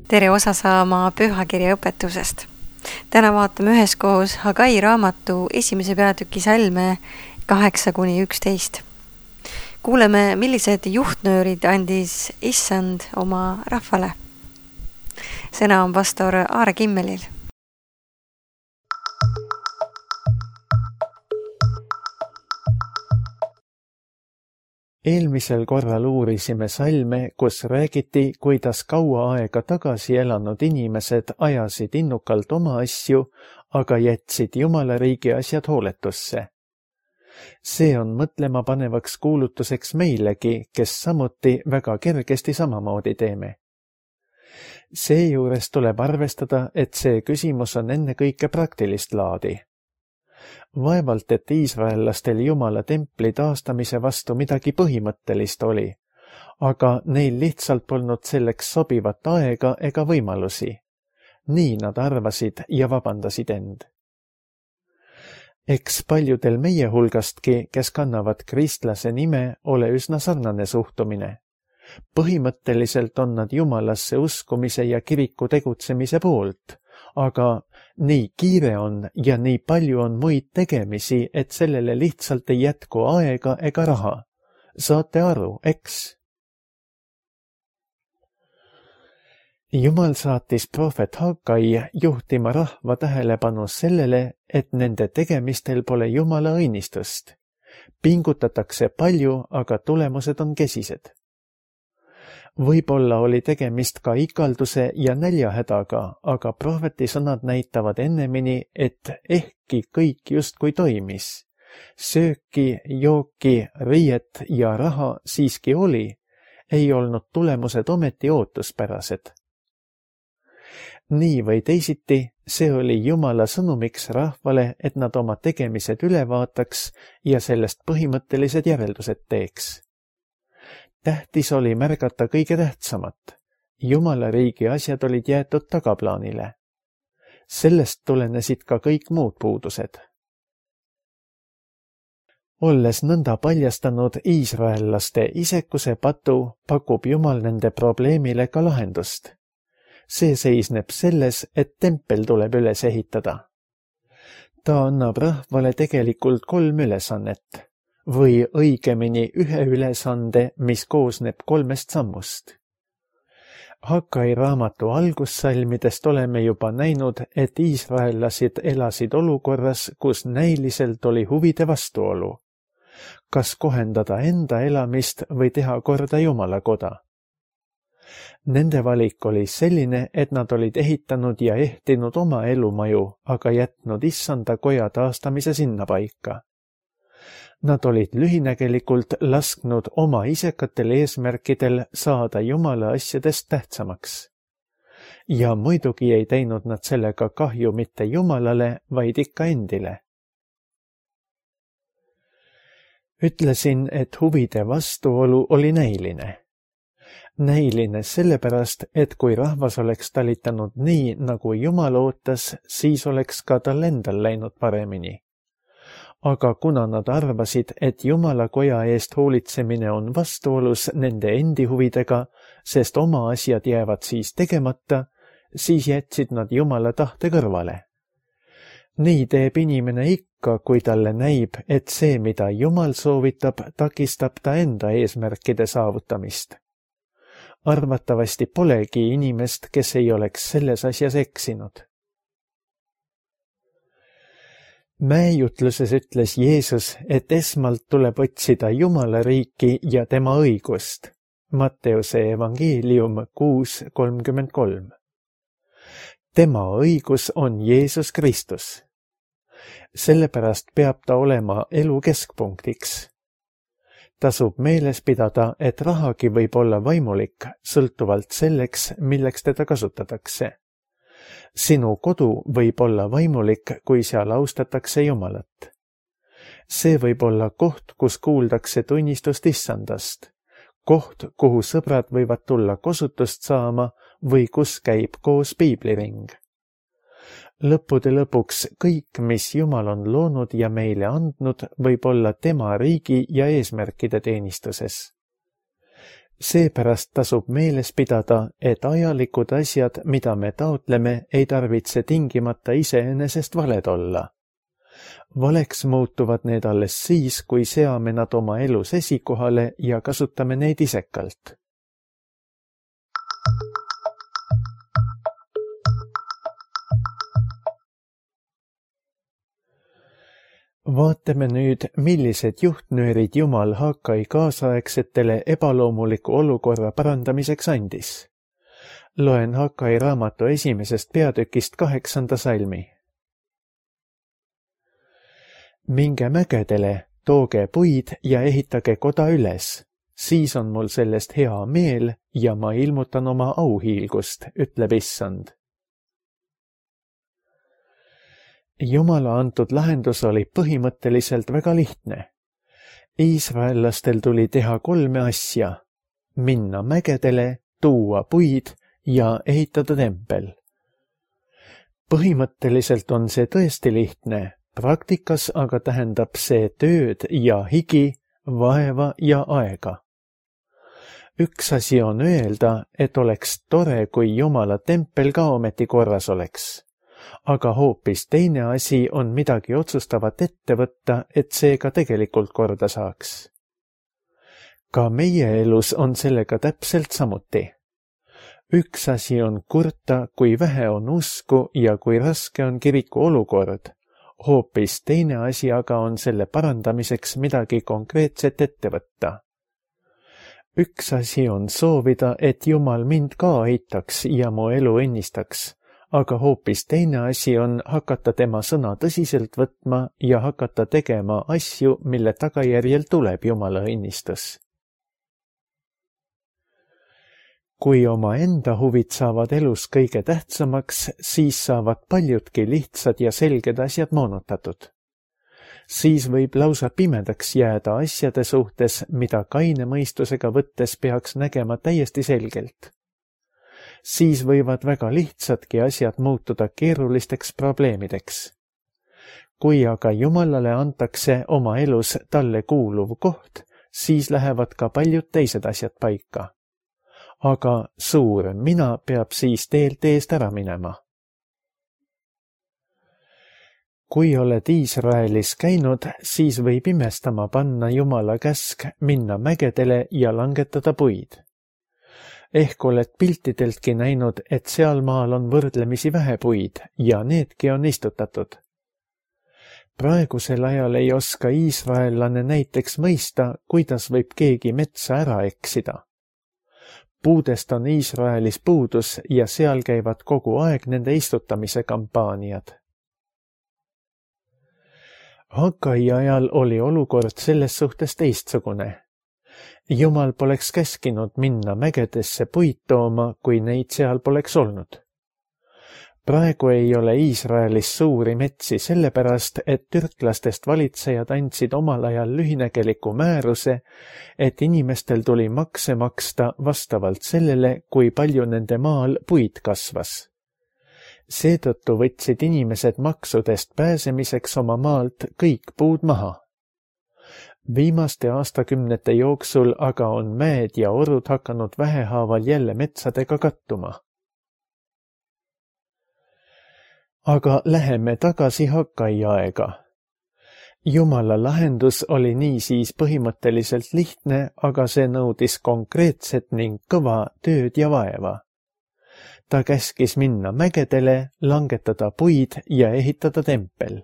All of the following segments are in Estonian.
Tere osa saama pühakirja õpetusest. Täna vaatame üheskoos Hagai raamatu 1. peatüki salme 8-11. Kuuleme, millised juhtnöörid andis Issand oma rahvale. Sõna on pastor Aare Kimmelil. Eelmisel korral uurisime salme, kus räägiti, kuidas kaua aega tagasi elanud inimesed ajasid innukalt oma asju, aga jätsid Jumala riigi asjad hooletusse. See on mõtlema panevaks kuulutuseks meilegi, kes samuti väga kergesti samamoodi teeme. Seejuures tuleb arvestada, et see küsimus on ennekõike praktilist laadi. Vaevalt, et iisraellastel Jumala templi taastamise vastu midagi põhimõttelist oli, aga neil lihtsalt polnud selleks sobivat aega ega võimalusi. Nii nad arvasid ja vabandasid end. Eks paljudel meie hulgastki, kes kannavad kristlase nime, ole üsna sarnane suhtumine. Põhimõtteliselt on nad Jumalasse uskumise ja kiriku tegutsemise poolt, aga nii kiire on ja nii palju on muid tegemisi, et sellele lihtsalt ei jätku aega ega raha. Saate aru, eks? Jumal saatis prohvet Hagai juhtima rahva tähelepanu sellele, et nende tegemistel pole Jumala õnnistust. Pingutatakse palju, aga tulemused on kesised. Võib-olla oli tegemist ka ikalduse ja näljahädaga, aga prohveti sõnad näitavad ennemini, et ehkki kõik justkui toimis. Sööki, jooki, riiet ja raha siiski oli, ei olnud tulemused ometi ootuspärased. Nii või teisiti, see oli Jumala sõnumiks rahvale, et nad oma tegemised üle vaataks ja sellest põhimõttelised järeldused teeks. Tähtis oli märgata kõige tähtsamat. Jumala riigi asjad olid jäetud tagaplaanile. Sellest tulenesid ka kõik muud puudused. Olles nõnda paljastanud iisraellaste isekuse patu, pakub Jumal nende probleemile ka lahendust. See seisneb selles, et tempel tuleb üles ehitada. Ta annab rahvale tegelikult 3 ülesannet. Või õigemini ühe ülesande, mis koosneb 3 sammust. Hagai raamatu algussalmidest oleme juba näinud, et iisraellased elasid olukorras, kus näiliselt oli huvide vastuolu. Kas kohendada enda elamist või teha korda Jumala koda? Nende valik oli selline, et nad olid ehitanud ja ehtinud oma elumaju, aga jätnud Issanda koja taastamise sinna paika. Nad olid lühinägelikult lasknud oma isekatel eesmärkidel saada Jumala asjadest tähtsamaks. Ja muidugi ei teinud nad sellega kahju mitte Jumalale, vaid ikka endile. Ütlesin, et huvide vastuolu oli näiline. Näiline sellepärast, et kui rahvas oleks talitanud nii, nagu Jumal ootas, siis oleks ka tal endal läinud paremini. Aga kuna nad arvasid, et Jumala koja eest hoolitsemine on vastuolus nende endi huvidega, sest oma asjad jäävad siis tegemata, siis jätsid nad Jumala tahte kõrvale. Nii teeb inimene ikka, kui talle näib, et see, mida Jumal soovitab, takistab ta enda eesmärkide saavutamist. Arvatavasti polegi inimest, kes ei oleks selles asjas eksinud. Mäejutluses ütles Jeesus, et esmalt tuleb otsida Jumala riiki ja tema õigust. Matteuse evangeelium 6:33. Tema õigus on Jeesus Kristus. Sellepärast peab ta olema elu keskpunktiks. Tasub meeles pidada, et rahagi võib olla vaimulik, sõltuvalt selleks, milleks teda kasutatakse. Sinu kodu võib olla vaimulik, kui seal austatakse Jumalat. See võib olla koht, kus kuuldakse tunnistust Issandast, koht, kuhu sõbrad võivad tulla kosutust saama või kus käib koos piibliring. Lõppude lõpuks kõik, mis Jumal on loonud ja meile andnud, võib olla tema riigi ja eesmärkide teenistuses. Seepärast tasub meeles pidada, et ajalikud asjad, mida me taotleme, ei tarvitse tingimata iseenesest valed olla. Valeks muutuvad need alles siis, kui seame nad oma elus esikohale ja kasutame neid isekalt. Vaatame nüüd, millised juhtnöörid Jumal Hagai kaasaegsetele ebaloomuliku olukorra parandamiseks andis. Loen Hagai raamatu 1. peatükist 8. salmi. Minge mägedele, tooge puid ja ehitage koda üles, siis on mul sellest hea meel ja ma ilmutan oma auhiilgust, ütleb Issand. Jumala antud lahendus oli põhimõtteliselt väga lihtne. Iisraellastel tuli teha 3 asja: minna mägedele, tuua puid ja ehitada tempel. Põhimõtteliselt on see tõesti lihtne, praktikas aga tähendab see tööd ja higi, vaeva ja aega. Üks asi on öelda, et oleks tore, kui Jumala tempel ka ometi korras oleks. Aga hoopis teine asi on midagi otsustavat ette võtta, et see ka tegelikult korda saaks. Ka meie elus on sellega täpselt samuti. Üks asi on kurta, kui vähe on usku ja kui raske on kiriku olukord. Hoopis teine asi aga on selle parandamiseks midagi konkreetset ette võtta. Üks asi on soovida, et Jumal mind ka aitaks ja mu elu õnnistaks. Aga hoopis teine asi on hakata tema sõna tõsiselt võtma ja hakata tegema asju, mille tagajärjel tuleb Jumala õnnistus. Kui oma enda huvid saavad elus kõige tähtsamaks, siis saavad paljudki lihtsad ja selged asjad moonutatud. Siis võib lausa pimedaks jääda asjade suhtes, mida kaine mõistusega võttes peaks nägema täiesti selgelt. Siis võivad väga lihtsadki asjad muutuda keerulisteks probleemideks. Kui aga Jumalale antakse oma elus talle kuuluv koht, siis lähevad ka paljud teised asjad paika. Aga suur mina peab siis teelt eest ära minema. Kui oled Iisraelis käinud, siis võib imestama panna Jumala käsk minna mägedele ja langetada puid. Ehk oled piltideltki näinud, et sealmaal on võrdlemisi vähe puid ja needki on istutatud. Praegusel ajal ei oska iisraellane näiteks mõista, kuidas võib keegi metsa ära eksida. Puudest on Iisraelis puudus ja seal käivad kogu aeg nende istutamise kampaaniad. Hagai ajal oli olukord selles suhtes teistsugune. Jumal poleks käskinud minna mägedesse puid tooma, kui neid seal poleks olnud. Praegu ei ole Iisraelis suuri metsi sellepärast, et türklastest valitsejad andsid omal ajal lühinägeliku määruse, et inimestel tuli makse maksta vastavalt sellele, kui palju nende maal puid kasvas. Seetõttu võtsid inimesed maksudest pääsemiseks oma maalt kõik puud maha. Viimaste aastakümnete jooksul aga on mäed ja orud hakanud vähehaaval jälle metsadega kattuma. Aga läheme tagasi Hagai aega. Jumala lahendus oli niisiis põhimõtteliselt lihtne, aga see nõudis konkreetset ning kõva tööd ja vaeva. Ta käskis minna mägedele, langetada puid ja ehitada tempel.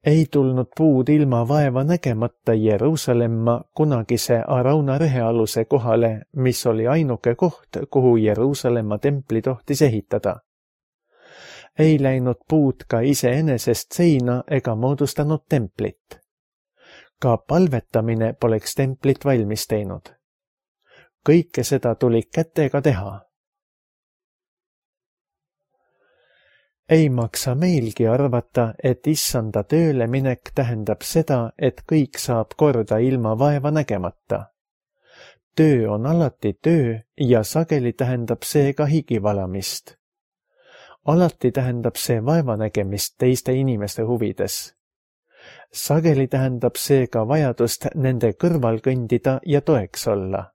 Ei tulnud puud ilma vaeva nägemata Jeruusalemma kunagise Arauna rehealuse kohale, mis oli ainuke koht, kuhu Jeruusalemma templi tohtis ehitada. Ei läinud puud ka iseenesest seina ega moodustanud templit. Ka palvetamine poleks templit valmis teinud. Kõike seda tuli kätega teha. Ei maksa meilgi arvata, et issanda tööle minek tähendab seda, et kõik saab korda ilma vaeva nägemata. Töö on alati töö ja sageli tähendab see ka higivalamist. Alati tähendab see vaevanägemist teiste inimeste huvides. Sageli tähendab see ka vajadust nende kõrval kõndida ja toeks olla.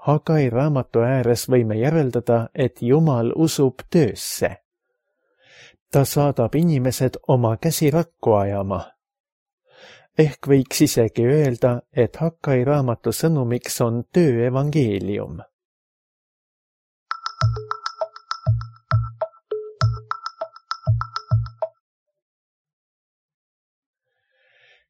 Hagai raamatu ääres võime järeldada, et Jumal usub töösse. Ta saadab inimesed oma käsi rakku ajama. Ehk võiks isegi öelda, et Hagai raamatu sõnumiks on töö evangeelium.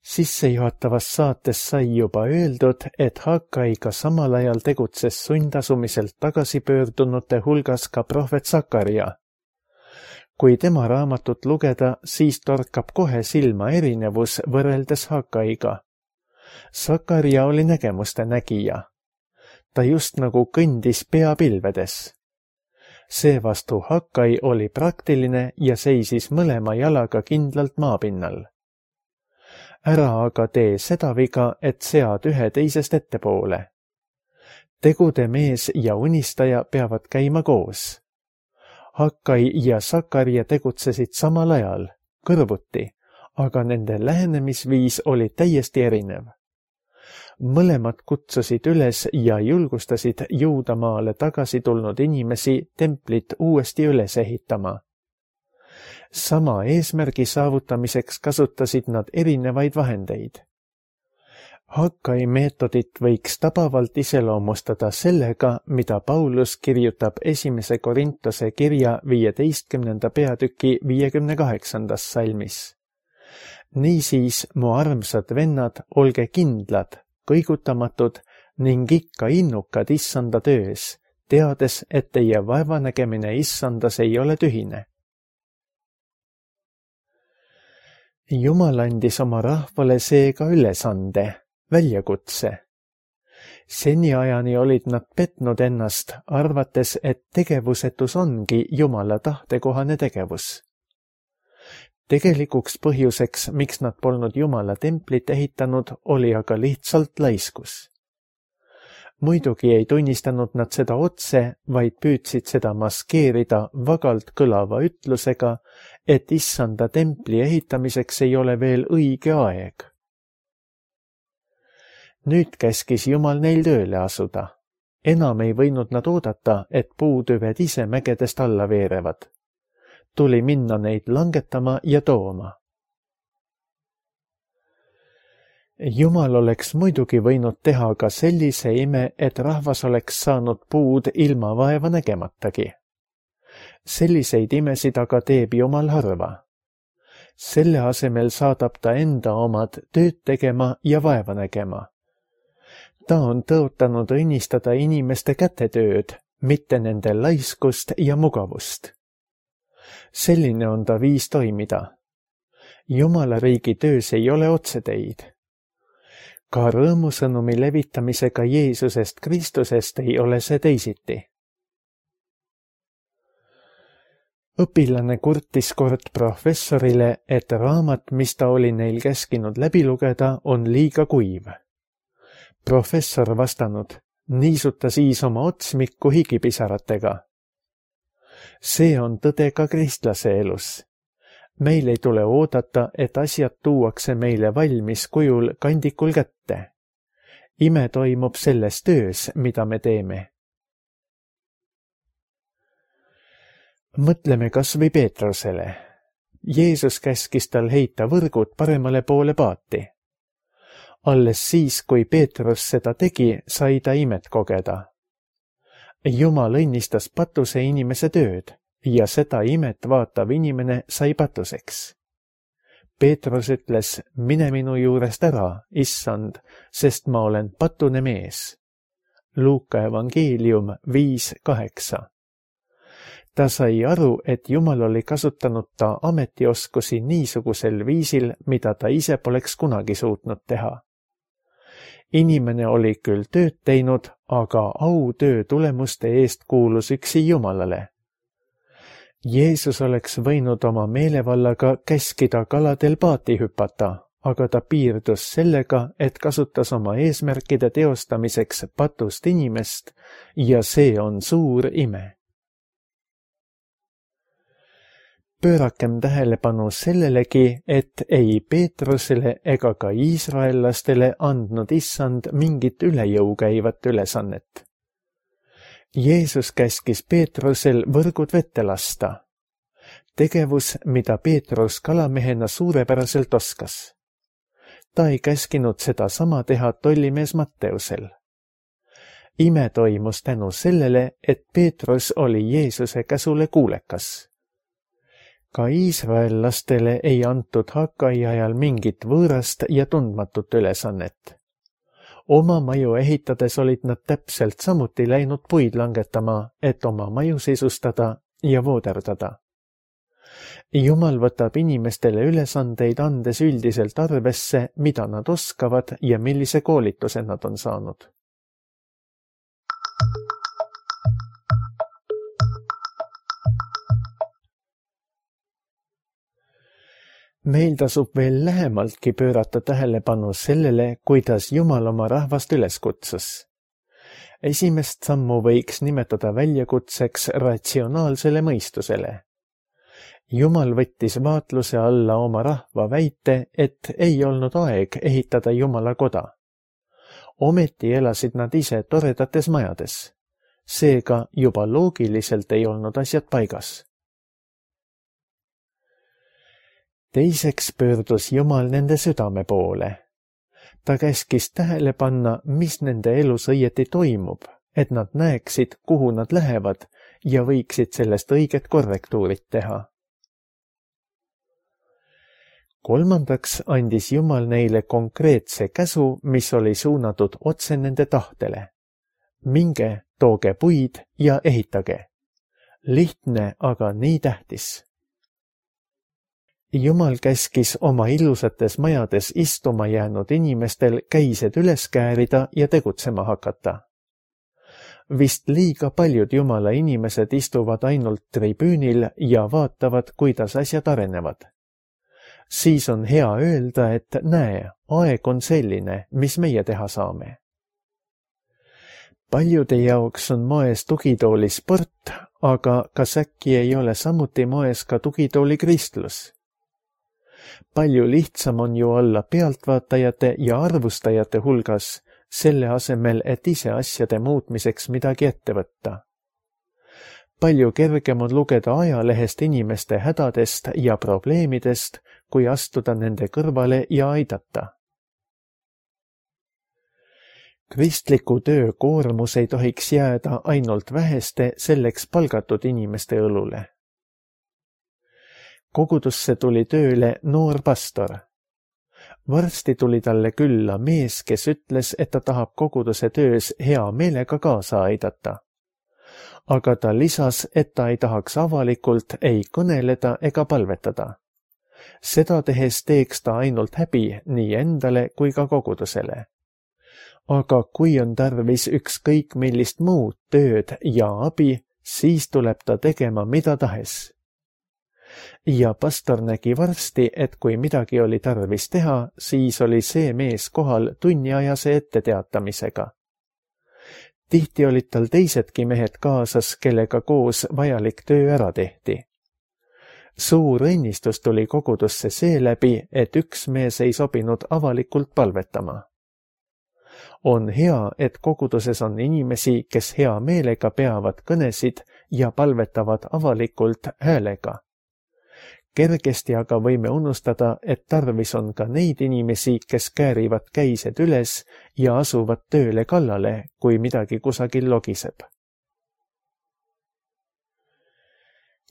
Sissejuhatavas saates sai juba öeldud, et Hagai ka samal ajal tegutses sundasumiselt tagasipöördunute hulgas ka prohvet Sakaria. Kui tema raamatut lugeda, siis torkab kohe silma erinevus võrreldes Hagaiga. Sakaria oli nägemuste nägija. Ta just nagu kõndis peapilvedes. Seevastu Hagai oli praktiline ja seisis mõlema jalaga kindlalt maapinnal. Ära aga tee seda viga, et sead ühe teisest ettepoole. Tegude mees ja unistaja peavad käima koos. Hagai ja Sakaria tegutsesid samal ajal, kõrvuti, aga nende lähenemisviis oli täiesti erinev. Mõlemad kutsusid üles ja julgustasid Juudamaale tagasi tulnud inimesi templit uuesti üles ehitama. Sama eesmärgi saavutamiseks kasutasid nad erinevaid vahendeid. Hagai meetodit võiks tabavalt iseloomustada sellega, mida Paulus kirjutab 1. Korintuse kirja 15. peatüki 58. salmis. Niisiis, mu armsad vennad, olge kindlad, kõigutamatud ning ikka innukad issanda töös, teades, et teie vaevanägemine issandas ei ole tühine. Jumal andis oma rahvale seega ülesande, väljakutse. Seniajani olid nad petnud ennast, arvates, et tegevusetus ongi Jumala tahtekohane tegevus. Tegelikuks põhjuseks, miks nad polnud Jumala templit ehitanud, oli aga lihtsalt laiskus. Muidugi ei tunnistanud nad seda otse, vaid püüdsid seda maskeerida vagalt kõlava ütlusega, et issanda templi ehitamiseks ei ole veel õige aeg. Nüüd käskis Jumal neil tööle asuda. Enam ei võinud nad oodata, et puutüved ise mägedest alla veerevad. Tuli minna neid langetama ja tooma. Jumal oleks muidugi võinud teha ka sellise ime, et rahvas oleks saanud puud ilma vaeva nägematagi. Selliseid imesid aga teeb Jumal harva. Selle asemel saadab ta enda omad tööd tegema ja vaeva nägema. Ta on tõotanud õnnistada inimeste kätetööd, mitte nende laiskust ja mugavust. Selline on ta viis toimida. Jumala riigi töös ei ole otseteid. Ka rõõmusõnumi levitamisega Jeesusest Kristusest ei ole see teisiti. Õpilane kurtis kord professorile, et raamat, mis ta oli neil käskinud läbi lugeda, on liiga kuiv. Professor vastanud, niisuta siis oma otsmikku higipisaratega. See on tõde ka kristlase elus. Meil ei tule oodata, et asjad tuuakse meile valmis kujul kandikul kätte. Ime toimub selles töös, mida me teeme. Mõtleme kas või Peetrusele. Jeesus käskis tal heita võrgud paremale poole paati. Alles siis, kui Peetrus seda tegi, sai ta imet kogeda. Jumal õnnistas patuse inimese tööd. Ja seda imet vaatav inimene sai patuseks. Peetrus ütles, mine minu juurest ära, issand, sest ma olen patune mees. Luuka evangeelium 5:8. Ta sai aru, et Jumal oli kasutanud ta ametioskusi niisugusel viisil, mida ta ise poleks kunagi suutnud teha. Inimene oli küll tööd teinud, aga au töö tulemuste eest kuulus üksi Jumalale. Jeesus oleks võinud oma meelevallaga käskida kaladel paati hüpata, aga ta piirdus sellega, et kasutas oma eesmärkide teostamiseks patust inimest ja see on suur ime. Pöörakem tähelepanu sellelegi, et ei Peetrusele ega ka iisraellastele andnud issand mingit üle jõu käivat ülesannet. Jeesus käskis Peetrusel võrgud vette lasta. Tegevus, mida Peetrus kalamehena suurepäraselt oskas. Ta ei käskinud seda sama teha tollimees Matteusel. Ime toimus tänu sellele, et Peetrus oli Jeesuse käsule kuulekas. Ka iisraellastele ei antud Hagai ajal mingit võõrast ja tundmatut ülesannet. Oma maju ehitades olid nad täpselt samuti läinud puid langetama, et oma maju sisustada ja vooderdada. Jumal võtab inimestele ülesandeid andes üldiselt arvesse, mida nad oskavad ja millise koolituse nad on saanud. Meil tasub veel lähemaltki pöörata tähelepanu sellele, kuidas Jumal oma rahvast üles kutsus. Esimest sammu võiks nimetada väljakutseks ratsionaalsele mõistusele. Jumal võttis vaatluse alla oma rahva väite, et ei olnud aeg ehitada Jumala koda. Ometi elasid nad ise toredates majades. Seega juba loogiliselt ei olnud asjad paigas. Teiseks pöördus Jumal nende südame poole. Ta käskis tähele panna, mis nende elus õieti toimub, et nad näeksid, kuhu nad lähevad ja võiksid sellest õiget korrektuurit teha. Kolmandaks andis Jumal neile konkreetse käsu, mis oli suunatud otse nende tahtele. Minge, tooge puid ja ehitage. Lihtne, aga nii tähtis. Jumal käskis oma ilusates majades istuma jäänud inimestel käised üles käärida ja tegutsema hakata. Vist liiga paljud Jumala inimesed istuvad ainult tribüünil ja vaatavad, kuidas asjad arenevad. Siis on hea öelda, et näe, aeg on selline, mis meie teha saame. Paljude jaoks on moes tugitooli sport, aga kas äkki ei ole samuti moes ka tugitooli kristlus? Palju lihtsam on ju olla pealtvaatajate ja arvustajate hulgas, selle asemel, et ise asjade muutmiseks midagi ette võtta. Palju kergem on lugeda ajalehest inimeste hädadest ja probleemidest, kui astuda nende kõrvale ja aidata. Kristliku töö koormus ei tohiks jääda ainult väheste selleks palgatud inimeste õlule. Kogudusse tuli tööle noor pastor. Varsti tuli talle külla mees, kes ütles, et ta tahab koguduse töös hea meelega kaasa aidata. Aga ta lisas, et ta ei tahaks avalikult ei kõneleda ega palvetada. Seda tehes teeks ta ainult häbi nii endale kui ka kogudusele. Aga kui on tarvis ükskõik millist muud tööd ja abi, siis tuleb ta tegema mida tahes. Ja pastor nägi varsti, et kui midagi oli tarvis teha, siis oli see mees kohal tunniajase etteteatamisega. Tihti olid tal teisedki mehed kaasas, kellega koos vajalik töö ära tehti. Suur õnnistus tuli kogudusse seeläbi, et üks mees ei sobinud avalikult palvetama. On hea, et koguduses on inimesi, kes hea meelega peavad kõnesid ja palvetavad avalikult häälega. Kergesti aga võime unustada, et tarvis on ka neid inimesi, kes käärivad käised üles ja asuvad tööle kallale, kui midagi kusagil logiseb.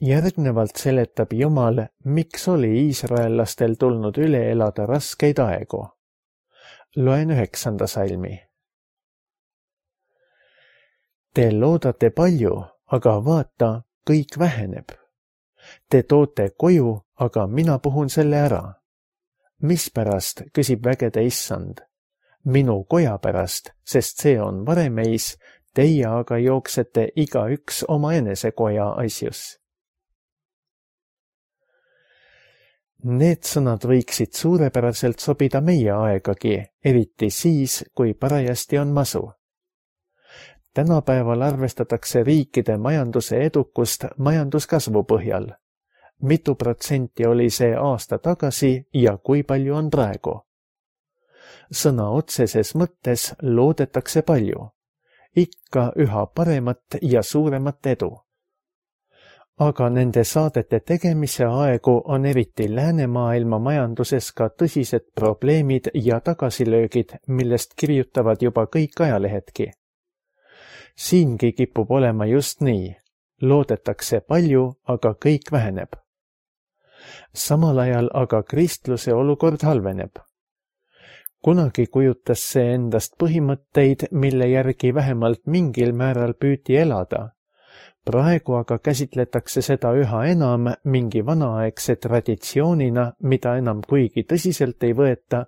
Järgnevalt seletab Jumal, miks oli iisraellastel tulnud üle elada raskeid aegu. Loen 9. salmi. Te loodate palju, aga vaata, kõik väheneb. Te toote koju, aga mina puhun selle ära. Mispärast, küsib vägede issand? Minu koja pärast, sest see on varemeis, teie aga jooksete igaüks oma enese koja asjus. Need sõnad võiksid suurepäraselt sobida meie aegagi, eriti siis, kui parajasti on masu. Tänapäeval arvestatakse riikide majanduse edukust majanduskasvu põhjal. Mitu protsenti oli see aasta tagasi ja kui palju on praegu? Sõna otseses mõttes loodetakse palju. ikka üha paremat ja suuremat edu. Aga nende saadete tegemise aegu on eriti läänemaailma majanduses ka tõsised probleemid ja tagasilöögid, millest kirjutavad juba kõik ajalehedki. Siingi kipub olema just nii. Loodetakse palju, aga kõik väheneb. Samal ajal aga kristluse olukord halveneb. Kunagi kujutas see endast põhimõtteid, mille järgi vähemalt mingil määral püüti elada. Praegu aga käsitletakse seda üha enam mingi vanaaegse traditsioonina, mida enam kuigi tõsiselt ei võeta,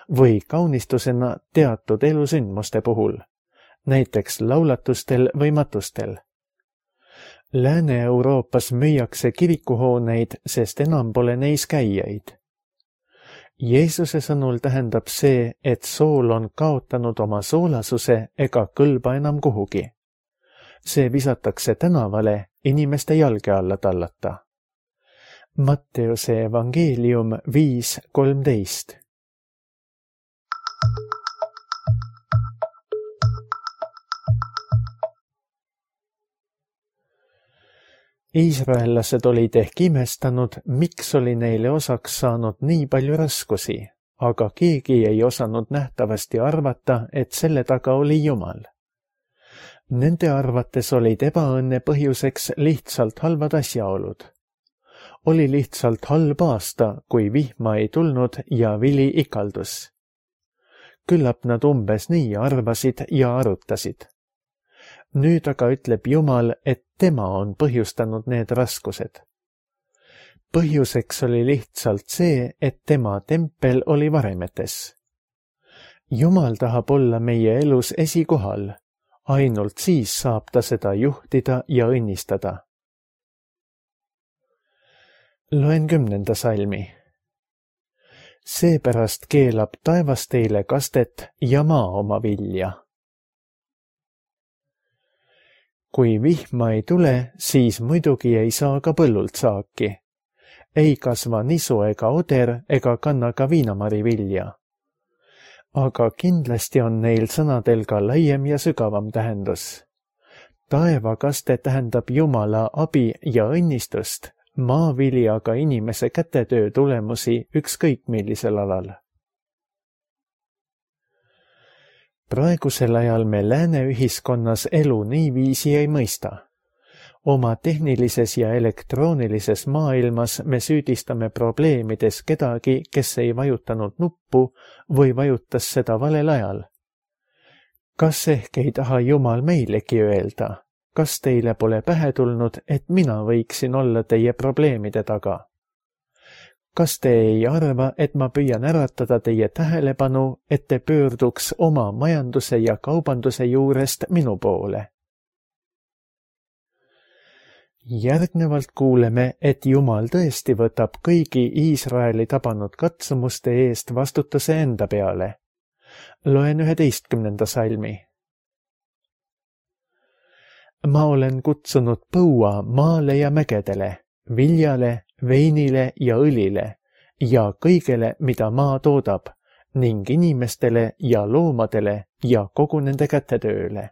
või kaunistusena teatud elusündmuste puhul, näiteks laulatustel või matustel. Lääne-Euroopas müüakse kirikuhooneid, sest enam pole neis käijaid. Jeesuse sõnul tähendab see, et sool on kaotanud oma soolasuse ega kõlba enam kuhugi. See visatakse tänavale inimeste jalge alla tallata. Matteuse evangeelium 5:13. Iisraellased olid ehk imestanud, miks oli neile osaks saanud nii palju raskusi, aga keegi ei osanud nähtavasti arvata, et selle taga oli Jumal. Nende arvates olid ebaõnne põhjuseks lihtsalt halvad asjaolud. Oli lihtsalt halb aasta, kui vihma ei tulnud ja vili ikaldus. Küllap nad umbes nii arvasid ja arutasid. Nüüd aga ütleb Jumal, et tema on põhjustanud need raskused. Põhjuseks oli lihtsalt see, et tema tempel oli varemetes. Jumal tahab olla meie elus esikohal, ainult siis saab ta seda juhtida ja õnnistada. Loen 10. salmi. Seepärast keelab taevas teile kastet ja maa oma vilja. Kui vihma ei tule, siis muidugi ei saa ka põllult saaki. Ei kasva nisu ega oder ega kanna ka viinamari vilja. Aga kindlasti on neil sõnadel ka laiem ja sügavam tähendus. Taevakaste tähendab Jumala abi ja õnnistust, maavili aga inimese kätetöö tulemusi ükskõik millisel alal. Praegusel ajal me lääne ühiskonnas elu niiviisi ei mõista. Oma tehnilises ja elektroonilises maailmas me süüdistame probleemides kedagi, kes ei vajutanud nuppu või vajutas seda valel ajal. Kas ehk ei taha Jumal meilegi öelda? Kas teile pole pähe tulnud, et mina võiksin olla teie probleemide taga? Kas te ei arva, et ma püüan äratada teie tähelepanu, et te pöörduks oma majanduse ja kaubanduse juurest minu poole? Järgnevalt kuuleme, et Jumal tõesti võtab kõigi Iisraeli tabanud katsumuste eest vastutuse enda peale. Loen 11. salmi. Ma olen kutsunud põua maale ja mägedele, viljale, veinile ja õlile ja kõigele, mida maa toodab, ning inimestele ja loomadele ja kogu nende kätetööle.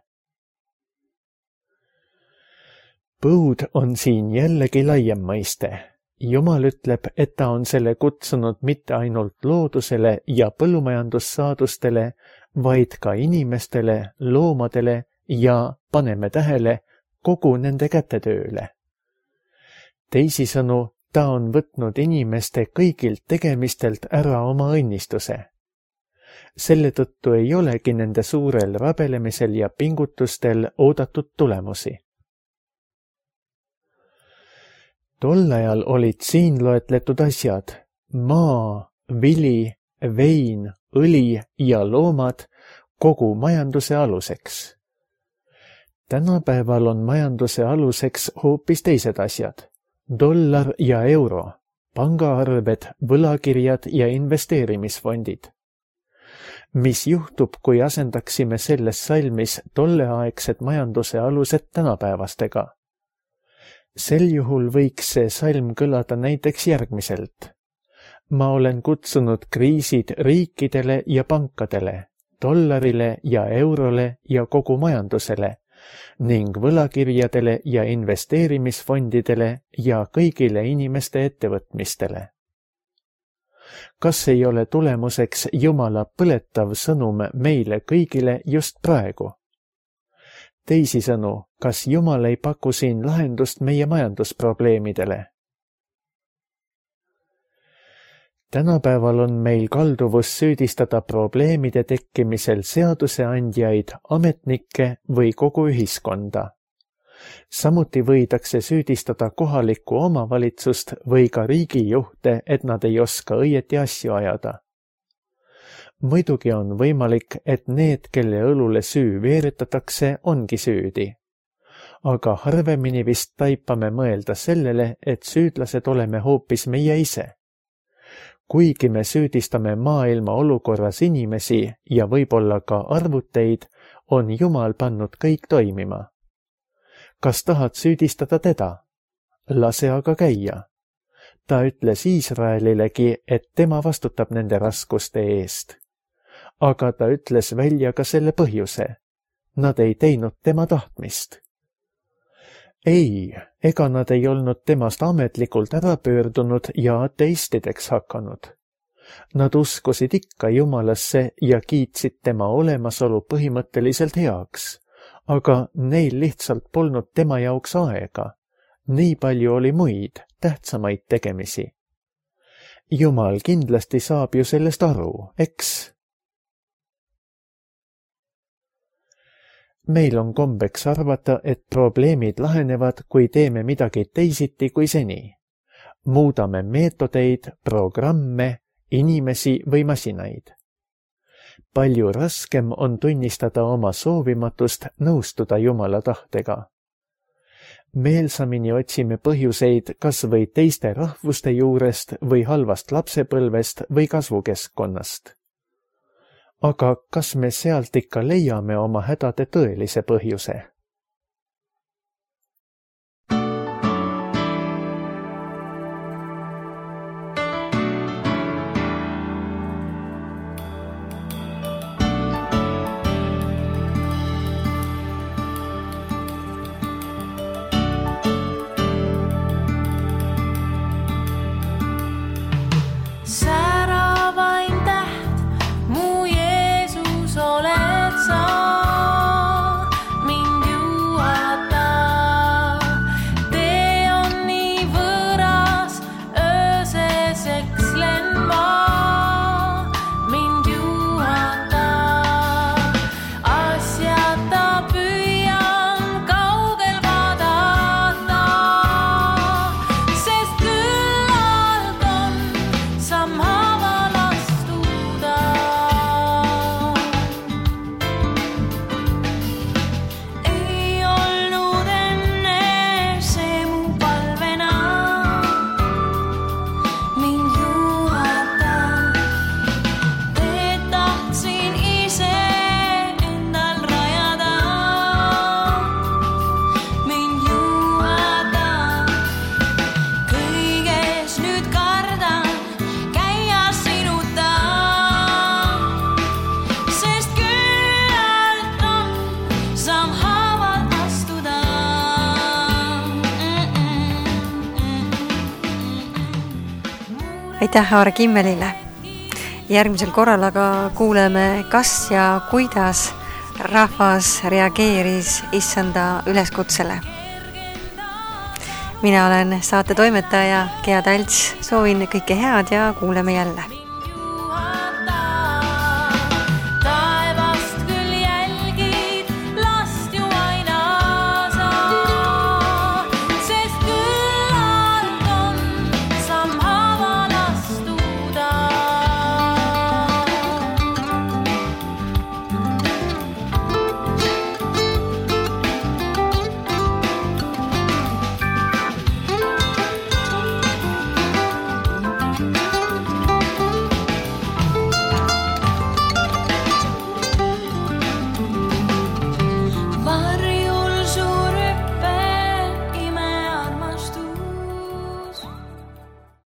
Põud on siin jällegi laiem mõiste. Jumal ütleb, et ta on selle kutsunud mitte ainult loodusele ja põllumajandussaadustele, vaid ka inimestele, loomadele ja, paneme tähele, kogu nende kätetööle. Teisisõnu, ta on võtnud inimeste kõigilt tegemistelt ära oma õnnistuse. Selle tõttu ei olegi nende suurel rabelemisel ja pingutustel oodatud tulemusi. Tol ajal olid siin loetletud asjad, maa, vili, vein, õli ja loomad kogu majanduse aluseks. Tänapäeval on majanduse aluseks hoopis teised asjad. Dollar ja euro, pangaarved, võlakirjad ja investeerimisfondid. Mis juhtub, kui asendaksime selles salmis tolleaegsed majanduse alused tänapäevastega? Sel juhul võiks see salm kõlada näiteks järgmiselt. Ma olen kutsunud kriisid riikidele ja pankadele, dollarile ja eurole ja kogu majandusele ning võlakirjadele ja investeerimisfondidele ja kõigile inimeste ettevõtmistele. Kas ei ole tulemuseks Jumala põletav sõnum meile kõigile just praegu? Teisisõnu, kas Jumal ei paku siin lahendust meie majandusprobleemidele? Tänapäeval on meil kalduvus süüdistada probleemide tekkimisel seaduseandjaid, ametnikke või kogu ühiskonda. Samuti võidakse süüdistada kohalikku omavalitsust või ka riigijuhte, et nad ei oska õieti asju ajada. Muidugi on võimalik, et need, kelle õlule süü veeretatakse, ongi süüdi. Aga harvemini vist taipame mõelda sellele, et süüdlased oleme hoopis meie ise. Kuigi me süüdistame maailma olukorras inimesi ja võib-olla ka arvuteid, on Jumal pannud kõik toimima. Kas tahad süüdistada teda? Lase aga käia. Ta ütles Iisraelilegi, et tema vastutab nende raskuste eest. Aga ta ütles välja ka selle põhjuse. Nad ei teinud tema tahtmist. Ei, ega nad ei olnud temast ametlikult ära pöördunud ja ateistideks hakanud. Nad uskusid ikka Jumalasse ja kiitsid tema olemasolu põhimõtteliselt heaks, aga neil lihtsalt polnud tema jaoks aega. Nii palju oli muid, tähtsamaid tegemisi. Jumal kindlasti saab ju sellest aru, eks? Meil on kombeks arvata, et probleemid lahenevad, kui teeme midagi teisiti kui seni. Muudame meetodeid, programme, inimesi või masinaid. Palju raskem on tunnistada oma soovimatust nõustuda Jumala tahtega. Meelsamini otsime põhjuseid kas või teiste rahvuste juurest või halvast lapsepõlvest või kasvukeskkonnast. Aga kas me sealt ikka leiame oma hädade tõelise põhjuse? Aitäh Aare Kimmelile. Järgmisel korral aga kuuleme, kas ja kuidas rahvas reageeris issanda üleskutsele. Mina olen saate toimetaja Gea Talts, soovin kõike head ja kuuleme jälle.